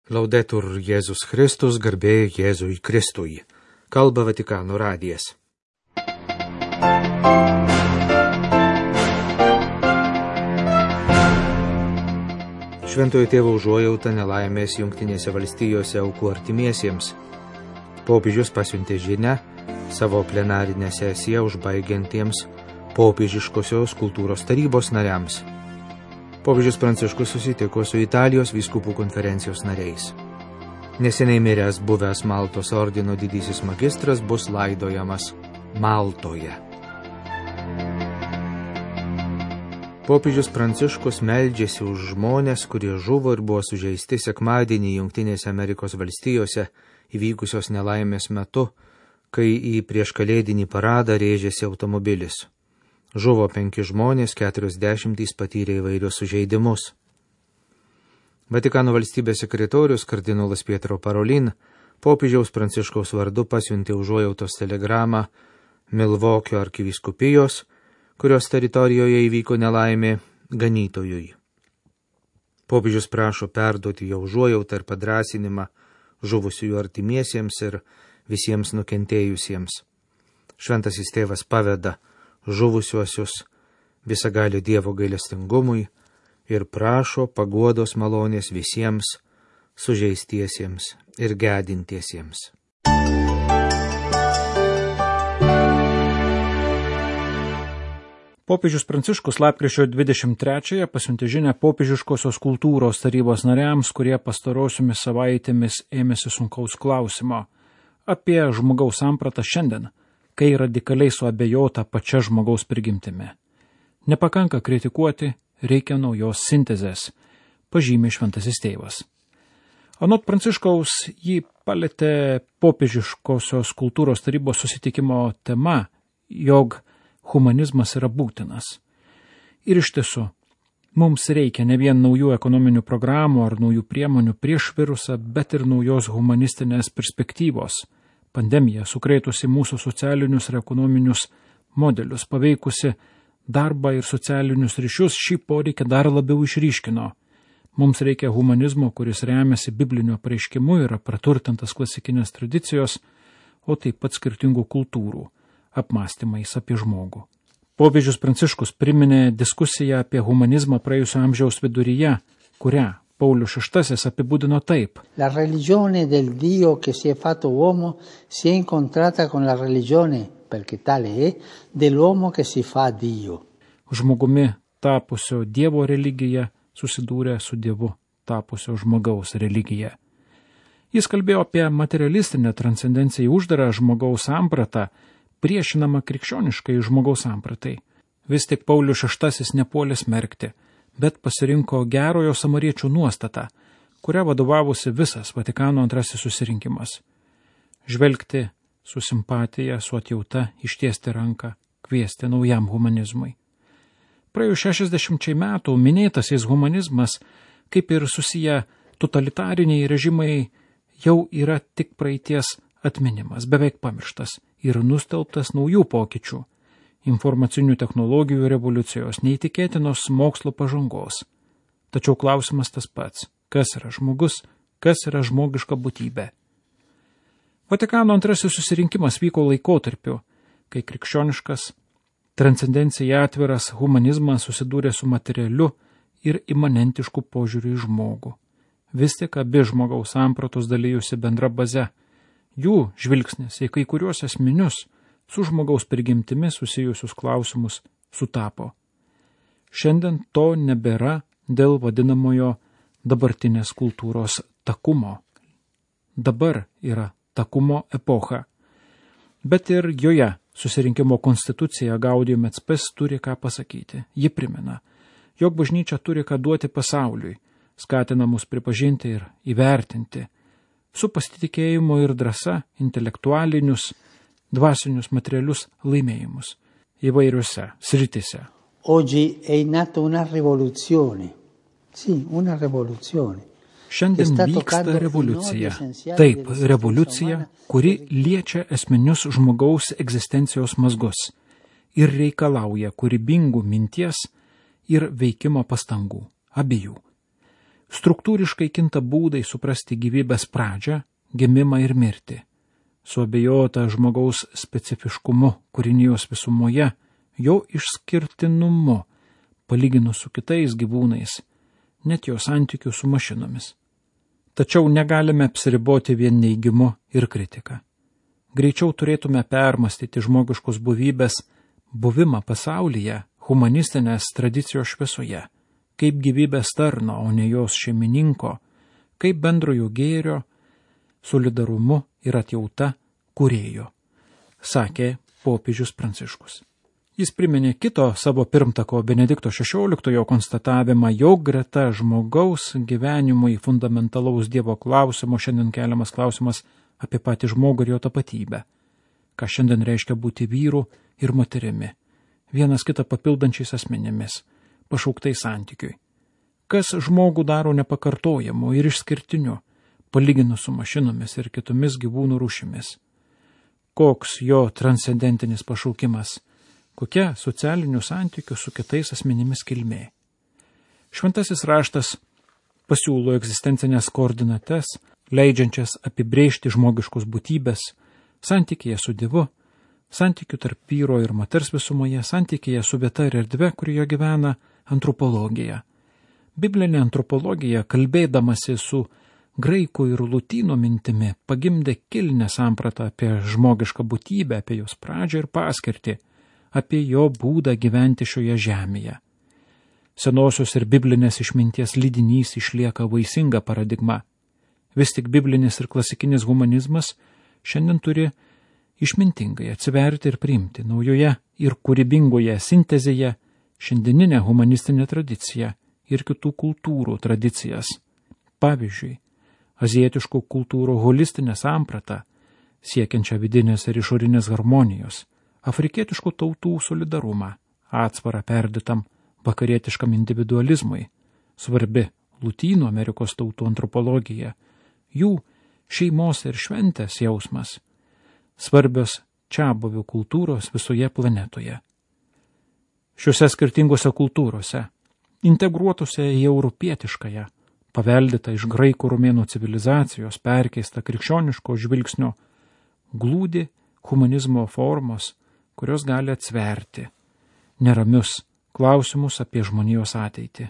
Laudetur Jėzus Kristus, garbė Jėzui Kristui. Kalba Vatikano radijas. Šventojo tėvo užuojauta nelaimės Jungtinėse valstijose aukų artimiesiems. Popiežius pasiuntė žinią savo plenarinę sesiją užbaigiantiems popiežiškosios kultūros tarybos nariams. Popiežius Pranciškus susitiko su Italijos vyskupų konferencijos nariais. Neseniai miręs buvęs Maltos ordino didysis magistras bus laidojamas Maltoje. Popiežius Pranciškus meldžiasi už žmones, kurie žuvo ir buvo sužeisti sekmadienį Jungtinėse Amerikos valstijose įvykusios nelaimės metu, kai į prieškalėdinį paradą rėžėsi automobilis. Žuvo 5 žmonės, 40 patyrė įvairius sužeidimus. Vatikano valstybės sekretorius kardinolas Pietro Parolin popiežiaus Pranciškaus vardu pasiuntė užuojautos telegramą Milvokio arkivyskupijos, kurios teritorijoje įvyko nelaimė, ganytojui. Popiežius prašo perduoti jo užuojautą ir padrąsinimą žuvusiųjų artimiesiems ir visiems nukentėjusiems. Šventasis tėvas paveda žuvusiuosius visagalio Dievo gailestingumui ir prašo paguodos malonės visiems sužeistiesiems ir gedintiesiems. Popiežius Pranciškus lapkričio 23-ąją pasiuntė žinią popiežiškosios kultūros tarybos nariams, kurie pastarosiomis savaitėmis ėmėsi sunkaus klausimo apie žmogaus sampratą šiandien, kai radikaliai suabejota pačia žmogaus prigimtimi. Nepakanka kritikuoti, reikia naujos sintezės, pažymė šventasis tėvas. Anot Pranciškaus jį palėtė popiežiškosios kultūros tarybos susitikimo tema, jog humanizmas yra būtinas. Ir iš tiesų, mums reikia ne vien naujų ekonominių programų ar naujų priemonių prieš virusą, bet ir naujos humanistinės perspektyvos. Pandemija sukrėtusi mūsų socialinius ir ekonominius modelius, paveikusi darbą ir socialinius ryšius, šį poreikį dar labiau išryškino. Mums reikia humanizmo, kuris remiasi bibliniu apreiškimu, yra praturtintas klasikinės tradicijos, o taip pat skirtingų kultūrų apmąstymais apie žmogų. Popiežius Pranciškus priminė diskusiją apie humanizmą praėjusio amžiaus viduryje, kurią Paulius VI apibūdino taip. La religione del Dio che si è fatto uomo si è incontrata con la religione, perché tale è, dell'uomo che si fa Dio. Žmogumi tapusio Dievo religija susidūrė su Dievu tapusio žmogaus religija. Jis kalbėjo apie materialistinę transcendenciją į uždarą žmogaus sampratą, priešinamą krikščioniškai žmogaus sampratai. Vis tik Paulius VI nepuolė smerkti, bet pasirinko gerojo samariečio nuostatą, kuria vadovavusi visas Vatikano antrasis susirinkimas. Žvelgti su simpatija, su atjauta, ištiesti ranką, kviesti naujam humanizmui. Praėjus 60 metų minėtasis humanizmas, kaip ir susiję totalitariniai režimai, jau yra tik praeities atminimas, beveik pamirštas ir nustelbtas naujų pokyčių. Informacinių technologijų revoliucijos, neįtikėtinos mokslo pažangos. Tačiau klausimas tas pats, kas yra žmogus, kas yra žmogiška būtybė. Vatikano antrasis susirinkimas vyko laikotarpiu, kai krikščioniškas, transcendencija atviras humanizmas susidūrė su materialiu ir imanentišku požiūriu į žmogų. Vis tik abi žmogaus sampratos dalyjusi bendra baze. Jų žvilgsnis į kai kuriuos esminius su žmogaus prigimtimi susijusius klausimus sutapo. Šiandien to nebėra dėl vadinamojo dabartinės kultūros takumo. Dabar yra takumo epocha. Bet ir joje susirinkimo konstitucija Gaudium et Spes turi ką pasakyti. Ji primena, jog bažnyčia turi ką duoti pasauliui, skatina mus pripažinti ir įvertinti, su pasitikėjimu ir drąsa intelektualinius, dvasinius materialius laimėjimus įvairiuose sritise. Oggi è in atto una rivoluzione. Sì, una rivoluzione. Šiandien vyksta revoliucija. Taip, revoliucija, kuri liečia esminius žmogaus egzistencijos mazgus ir reikalauja kūrybingų minties ir veikimo pastangų, abiejų. Struktūriškai kinta būdai suprasti gyvybės pradžią, gimimą ir mirtį. Suabejota žmogaus specifiškumu kūrinijos visumoje, jo išskirtinumu, palyginus su kitais gyvūnais, net jo santykių su mašinomis. Tačiau negalime apsiriboti vien neigimu ir kritika. Greičiau turėtume permastyti žmogiškos buvybės buvimą pasaulyje humanistinės tradicijos šviesoje, kaip gyvybės tarno, o ne jos šeimininko, kaip bendrojo gėrio, solidarumu ir atjauta kūrėjo, sakė popiežius Pranciškus. Jis priminė kito savo pirmtako Benedikto XVI konstatavimą, jog greta žmogaus gyvenimui fundamentalaus Dievo klausimo šiandien keliamas klausimas apie patį žmogų ir jo tapatybę, ką šiandien reiškia būti vyru ir moterimi, vienas kitą papildančiais asmenimis, pašauktai santykiui. Kas žmogų daro nepakartojamu ir išskirtiniu, palyginus su mašinomis ir kitomis gyvūnų rūšimis. Koks jo transcendentinis pašaukimas, kokia socialinių santykių su kitais asmenimis kilmė. Šventasis raštas pasiūlo egzistencinės koordinates, leidžiančias apibrėžti žmogiškos būtybės, santykėje su Dievu, santykių tarp vyro ir moters visumoje, santykėje su vieta ir erdve, kurioje gyvena antropologija. Biblinė antropologija, kalbėdamasi su graikų ir lotynų mintimi, pagimdė kilnią sampratą apie žmogišką būtybę, apie jos pradžią ir paskirtį, apie jo būdą gyventi šioje žemėje. Senosios ir biblinės išminties lydinys išlieka vaisinga paradigma. Vis tik biblinis ir klasikinis humanizmas šiandien turi išmintingai atsiverti ir priimti naujoje ir kūrybingoje sintezėje šiandieninę humanistinę tradiciją ir kitų kultūrų tradicijas. Pavyzdžiui, azijietiškų kultūrų holistinę sampratą, siekiančią vidinės ir išorinės harmonijos, afrikietiškų tautų solidarumą, atsvarą perdėtam vakarietiškam individualizmui, svarbi Lotynų Amerikos tautų antropologija, jų šeimos ir šventės jausmas, svarbios čiabuvių kultūros visoje planetoje. Šiuose skirtingose kultūrose, integruotose į europietiškąją, paveldėtą iš graikų romėnų civilizacijos, perkeista krikščioniško žvilgsnio, glūdi humanizmo formos, kurios gali atsverti neramius klausimus apie žmonijos ateitį.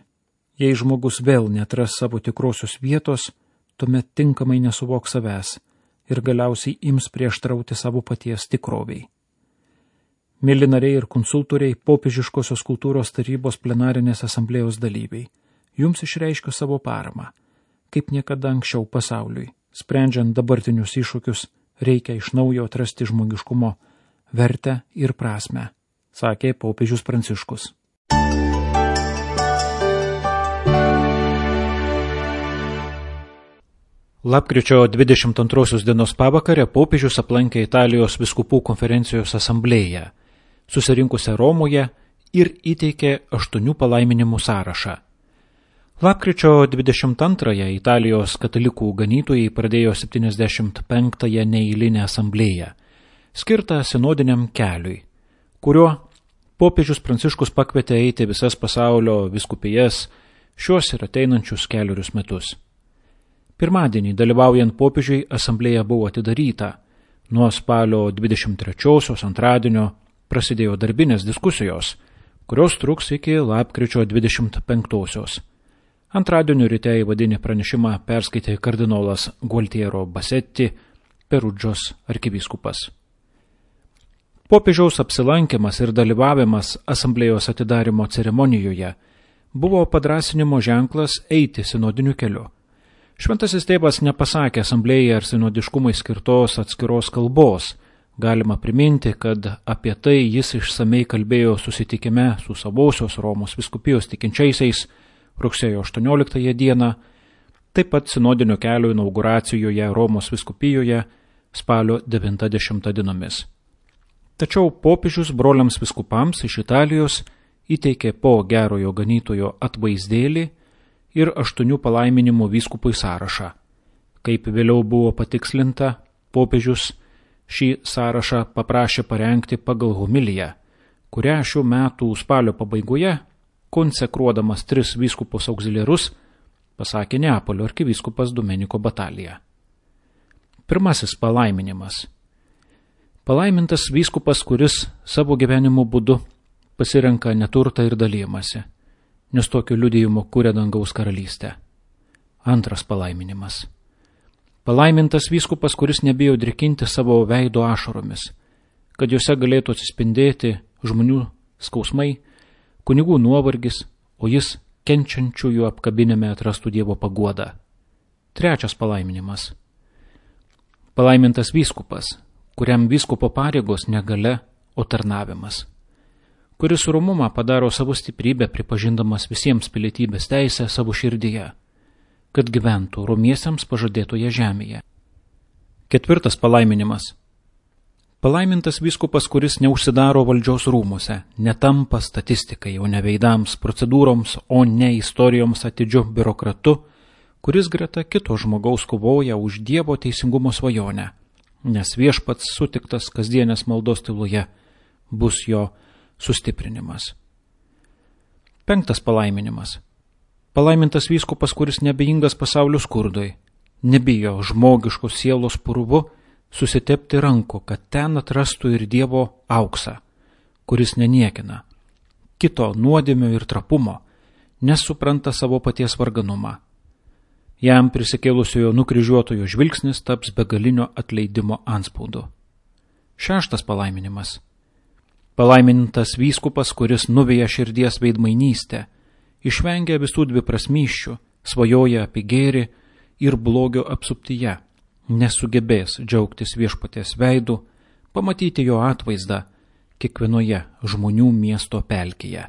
Jei žmogus vėl netras savo tikrosios vietos, tuomet tinkamai nesuvoks savęs ir galiausiai ims prieštrauti savo paties tikroviai. Mėly nariai ir konsultoriai, popiežiškosios kultūros tarybos plenarinės asamblėjos dalyviai, jums išreiškiu savo paramą. Kaip niekada anksčiau pasauliui, sprendžiant dabartinius iššūkius, reikia iš naujo atrasti žmogiškumo vertę ir prasmę, sakė popiežius Pranciškus. Lapkričio 22 dienos pavakarę popiežius aplankė Italijos vyskupų konferencijos asamblėją, susirinkusią Romoje ir įteikė 8 palaiminimų sąrašą. Lapkričio 22 Italijos katalikų ganytojai pradėjo 75-ąją neeilinę asamblėją, skirtą sinodiniam keliui, kuriuo popiežius Pranciškus pakvietė eiti visas pasaulio vyskupijas šiuos ir ateinančius 4 metus. Pirmadienį, dalyvaujant popiežiui, asamblėja buvo atidaryta. Nuo spalio 23-osios antradienio prasidėjo darbinės diskusijos, kurios truks iki lapkričio 25-osios. Antradienio ryte įvadinį pranešimą perskaitė kardinolas Gualtiero Bassetti, Perudžos arkivyskupas. Popiežiaus apsilankimas ir dalyvavimas asamblėjos atidarimo ceremonijoje buvo padrąsinimo ženklas eiti sinodiniu keliu. Šventasis tėvas nepasakė asamblėjai ar sinodiškumai skirtos atskiros kalbos. Galima priminti, kad apie tai jis išsamei kalbėjo susitikime su savosios Romos vyskupijos tikinčiaisiais rugsėjo 18 dieną, taip pat sinodinio kelio inauguracijoje Romos vyskupijoje spalio 90 dienomis. Tačiau popiežius broliams vyskupams iš Italijos įteikė po gerojo ganytojo atvaizdėlį ir 8 palaiminimų vyskupui sąrašą. Kaip vėliau buvo patikslinta, popiežius šį sąrašą paprašė parengti pagal homiliją, kurią šių metų spalio pabaigoje, konsekruodamas 3 vyskupus auxiliarus, pasakė Neapolio arkivyskupas Domenico Batalija. Pirmasis palaiminimas. Palaimintas vyskupas, kuris savo gyvenimo būdu pasirenka neturtą ir dalijimąsi, nes tokiu liudijimu kuria dangaus karalystę. Antras palaiminimas. Palaimintas vyskupas, kuris nebijo drikinti savo veido ašaromis, kad juose galėtų atsispindėti žmonių skausmai, kunigų nuovargis, o jis kenčiančiųjų apkabinime atrastų Dievo paguodą. Trečias palaiminimas. Palaimintas vyskupas, kuriam vyskupo pareigos negalia, o tarnavimas, kuris romumą padaro savo stiprybę, pripažindamas visiems pilietybės teisę savo širdyje, kad gyventų romiesiems pažadėtoje žemėje. Ketvirtas palaiminimas. Palaimintas vyskupas, kuris neužsidaro valdžios rūmuose, netampa statistikai, o ne veidams, procedūroms, o ne istorijoms atidžiu biurokratu, kuris greta kito žmogaus kovoja už Dievo teisingumo svajonę, nes viešpats sutiktas kasdienės maldos tyloje bus jo sustiprinimas. Penktas palaiminimas. Palaimintas vyskupas, kuris nebejingas pasaulio skurdui, nebijo žmogiškos sielos purvu susitepti rankų, kad ten atrastų ir Dievo auksą, kuris neniekina kito nuodėmio ir trapumo, nes supranta savo paties varganumą. Jam prisikėlusiojo nukryžiuotojo žvilgsnis taps begalinio atleidimo antspaudu. Šeštas palaiminimas. Palaimintas vyskupas, kuris nuveja širdies veidmainystę, išvengia visų dviprasmysčių, svajoja apie gėrį ir blogio apsuptyje, nesugebės džiaugtis viešpaties veidu, pamatyti jo atvaizdą kiekvienoje žmonių miesto pelkėje.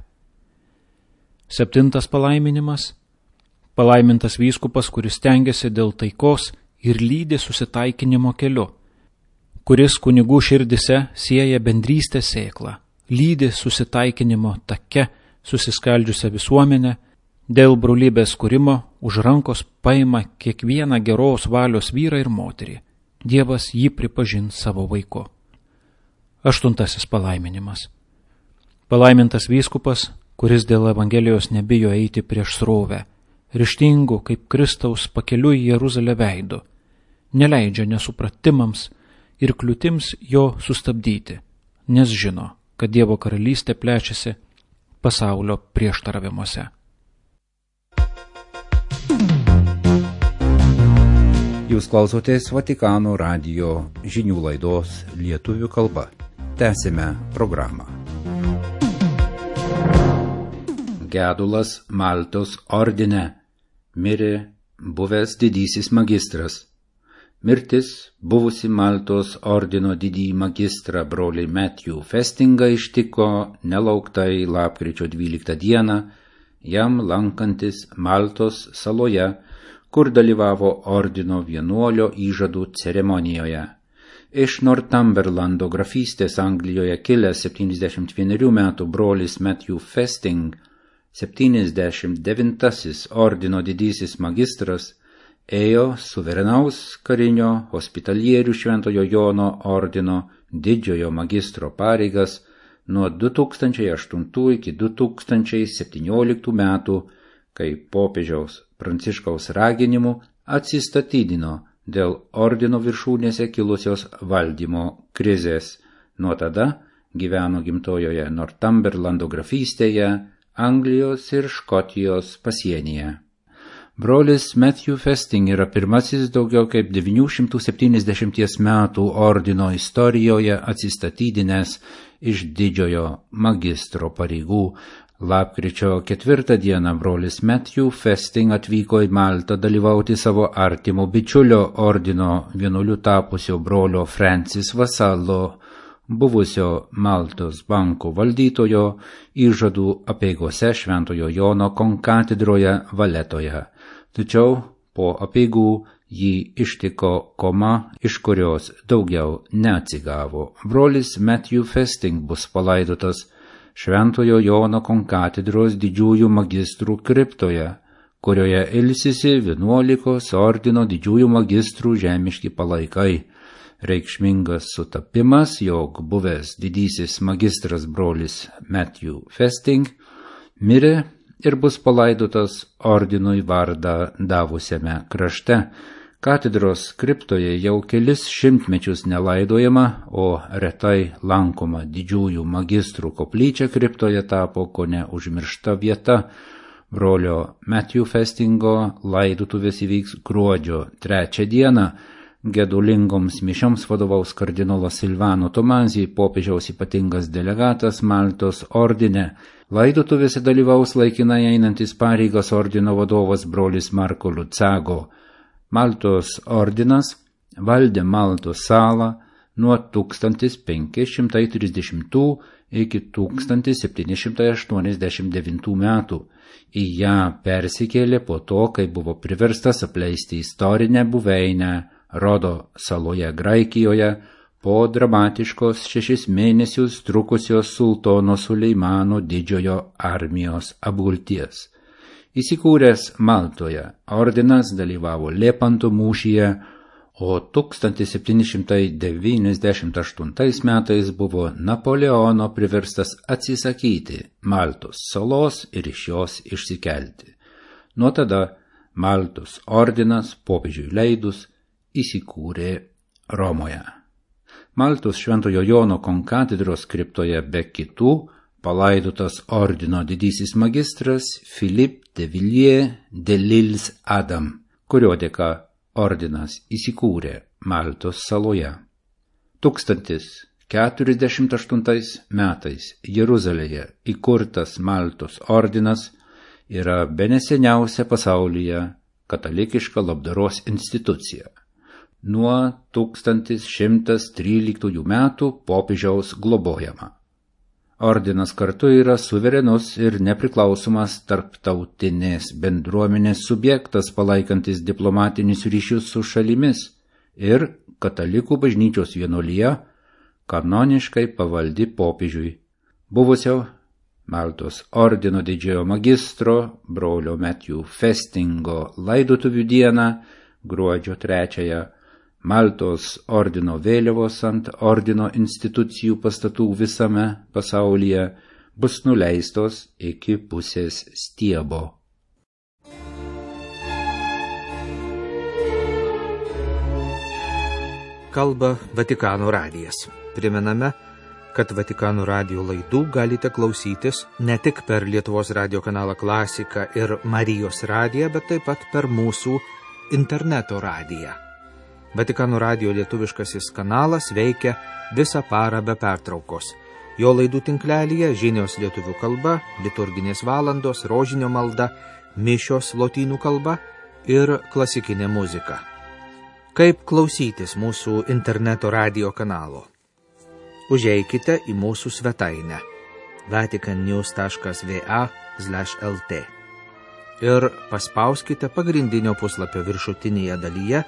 Septintas palaiminimas. Palaimintas vyskupas, kuris stengiasi dėl taikos ir lydi susitaikinimo keliu, kuris kunigų širdise sieja bendrystės sėklą, lydi susitaikinimo take susiskaldžiusią visuomenę, dėl brolybės kūrimo už rankos paima kiekvieną geros valios vyrą ir moterį. Dievas jį pripažins savo vaiku. Aštuntasis palaiminimas. Palaimintas vyskupas, kuris dėl Evangelijos nebijo eiti prieš srovę, ryžtingų kaip Kristaus pakeliui į Jeruzalę veidu, neleidžia nesupratimams ir kliūtims jo sustabdyti, nes žino, kad Dievo karalystė plečiasi pasaulio prieštaravimuose. Jūs klausotės Vatikano radijo žinių laidos lietuvių kalba. Tęsime programą. Gedulas Maltos ordine. Mirė buvęs didysis magistras. Mirtis buvusi Maltos ordino didįjį magistrą brolį Matthew Festingą ištiko nelauktai lapkričio 12 dieną, jam lankantis Maltos saloje, kur dalyvavo ordino vienuolio įžadų ceremonijoje. Iš Northumberlando grafystės Anglijoje kilęs 71 metų brolis Matthew Festing, 79 ordino didysis magistras, ėjo suverenaus karinio hospitalierių Šventojo Jono ordino didžiojo magistro pareigas nuo 2008 iki 2017 metų, kai popiežiaus Pranciškaus raginimu atsistatydino dėl ordino viršūnėse kilusios valdymo krizės. Nuo tada gyveno gimtojoje Northumberlando grafystėje, Anglijos ir Škotijos pasienyje. Brolis Matthew Festing yra pirmasis daugiau kaip 970 metų ordino istorijoje atsistatydinęs iš didžiojo magistro pareigų. Lapkričio 4 dieną brolis Matthew Festing atvyko į Maltą dalyvauti savo artimo bičiulio ordino vienuoliu tapusio brolio Francis Vasallo, buvusio Maltos banko valdytojo, įžadų apeigose Šventojo Jono konkatedroje Valetoje. Tačiau po apeigų jį ištiko koma, iš kurios daugiau neatsigavo. Brolis Matthew Festing bus palaidotas Šventojo Jono konkatedros didžiųjų magistrų kriptoje, kurioje ilsisi 11 ordino didžiųjų magistrų žemiški palaikai. Reikšmingas sutapimas, jog buvęs didysis magistras brolis Matthew Festing mirė ir bus palaidotas ordinui vardą davusiame krašte. Katedros kriptoje jau kelis šimtmečius nelaidojama, o retai lankoma didžiųjų magistrų koplyčia kriptoje tapo kone užmiršta vieta. Brolio Matthew Festingo laidotuvės įvyks gruodžio 3 dieną. Gedulingoms mišioms vadovaus kardinolas Silvano Tomazį, popiežiaus ypatingas delegatas Maltos ordine. Laidotuvėse dalyvaus laikinai einantis pareigas ordino vadovas brolis Marko Lucago. Maltos ordinas valdė Maltos salą nuo 1530 iki 1789 metų. Į ją persikėlė po to, kai buvo priverstas apleisti istorinę buveinę Rodo saloje Graikijoje po dramatiškos 6 mėnesius trukusios sultono Suleimano didžiojo armijos apgulties. Įsikūręs Maltoje, ordinas dalyvavo Lepanto mūšyje, o 1798 metais buvo Napoleono priverstas atsisakyti Maltos salos ir iš jos išsikelti. Nuo tada Maltos ordinas popiežiui leidus įsikūrė Romoje. Maltos Šventojo Jono konkatedros kriptoje be kitų palaidotas ordino didysis magistras Philippe de Villiers de l'Isle Adam, kurio dėka ordinas įsikūrė Maltos saloje. 1048 metais Jeruzalėje įkurtas Maltos ordinas yra beneseniausia pasaulyje katalikiška labdaros institucija. Nuo 1113 metų popiežiaus globojama. Ordinas kartu yra suverenus ir nepriklausomas tarptautinės bendruomenės subjektas, palaikantis diplomatinius ryšius su šalimis, ir katalikų bažnyčios vienuolija kanoniškai pavaldi popiežiui. Buvusio Maltos ordino didžiojo magistro brolio Matthew Festingo laidotuvių dieną, gruodžio 3, Maltos ordino vėliavos ant ordino institucijų pastatų visame pasaulyje bus nuleistos iki pusės stiebo. Kalba Vatikano radijas. Primename, kad Vatikano radijo laidų galite klausytis ne tik per Lietuvos radijo kanalą Klasika ir Marijos radiją, bet taip pat per mūsų interneto radiją. Vatikano radijo lietuviškasis kanalas veikia visą parą be pertraukos. Jo laidų tinklelyje žinios lietuvių kalba, liturginės valandos, rožinio malda, mišios lotynų kalba ir klasikinė muzika. Kaip klausytis mūsų interneto radijo kanalo? Užeikite į mūsų svetainę vaticannews.va/lt ir paspauskite pagrindinio puslapio viršutinėje dalyje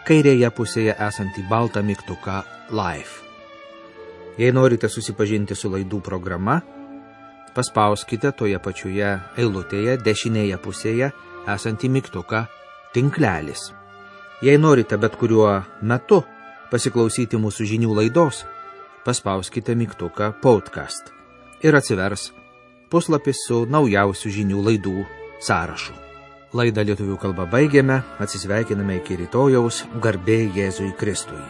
kairėje pusėje esantį baltą mygtuką Live. Jei norite susipažinti su laidų programa, paspauskite toje pačioje eilutėje dešinėje pusėje esantį mygtuką Tinklelis. Jei norite bet kuriuo metu pasiklausyti mūsų žinių laidos, paspauskite mygtuką Podcast ir atsivers puslapis su naujausių žinių laidų sąrašu. Laidą lietuvių kalba baigėme, atsisveikiname iki rytojaus, garbė Jėzui Kristui.